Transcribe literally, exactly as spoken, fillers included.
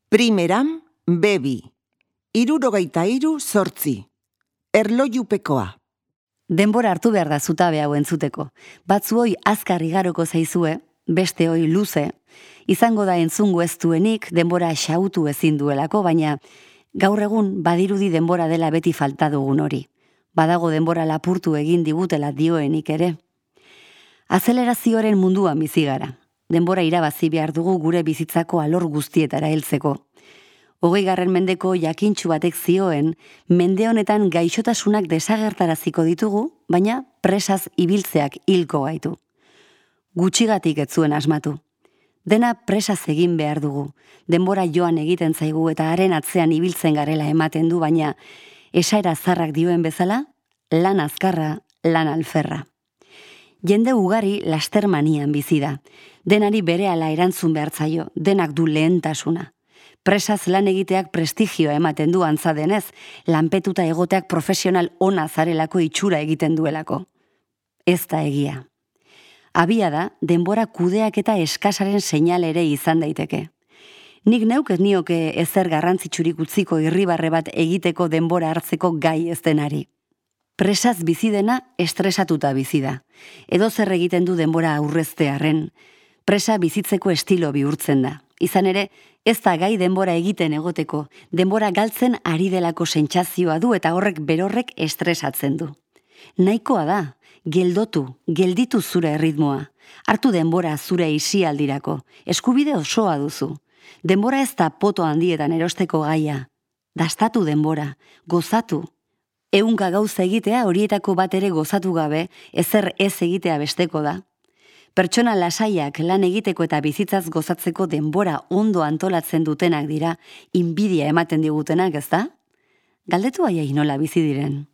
Primeran, bebi. Hirurogeita hiru zortzi. Erlojupekoa. Denbora hartu behar da zutabe hau entzuteko. Batzuoi azkar igaroko zaizue, beste hoi luze. Izango da entzungo ez duenik denbora xautu ezin duelako, baina gaur egun badirudi denbora dela beti falta dugun hori. Badago denbora lapurtu egin digutela dioenik ere. Azelerazioaren munduan bizi gara. Denbora irabazi behar dugu gure bizitzako alor guztietara heltzeko. Hogeigarren mendeko jakintsu batek zioen, mende honetan gaixotasunak desagertaraziko ditugu, baina presaz ibiltzeak hilko gaitu. Gutxigatik ez zuen asmatu. Dena presaz egin behar dugu. Denbora joan egiten zaigu eta haren atzean ibiltzen garela ematen du, baina esaera zarrak dioen bezala, lan azkarra, lan alferra. Jende ugari lastermanian bizi da. Denari berehala erantzun behar zaio, denak du lehentasuna. Presaz lan egiteak prestigioa ematen du antza denez, lanpetuta egoteak profesional ona zarelako itxura egiten duelako. Ez da egia. Abia da, denbora kudeak eta eskasaren seinal ere izan daiteke. Nik neuk ez nioke ezer garrantzitsurik utziko irribarre bat egiteko denbora hartzeko gai ez denari. Presaz bizi dena estresatuta bizi da. Edo zer egiten du denbora aurreztearren. Presa bizitzeko estilo bihurtzen da. Izan ere, ez da gai denbora egiten egoteko, denbora galtzen ari delako sentsazioa du eta horrek berorrek estresatzen du. Nahikoa da, geldotu, gelditu zure erritmoa. Hartu denbora zure isialdirako, eskubide osoa duzu. Denbora ez da poto handietan erosteko gaia. Dastatu denbora, gozatu. Ehunka gauza egitea horietako bat ere gozatu gabe, ezer ez egitea besteko da. Pertsona lasaiak lan egiteko eta bizitzaz gozatzeko denbora ondo antolatzen dutenak dira, inbidia ematen digutenak, ez da? Galdetu aiai nola bizi diren.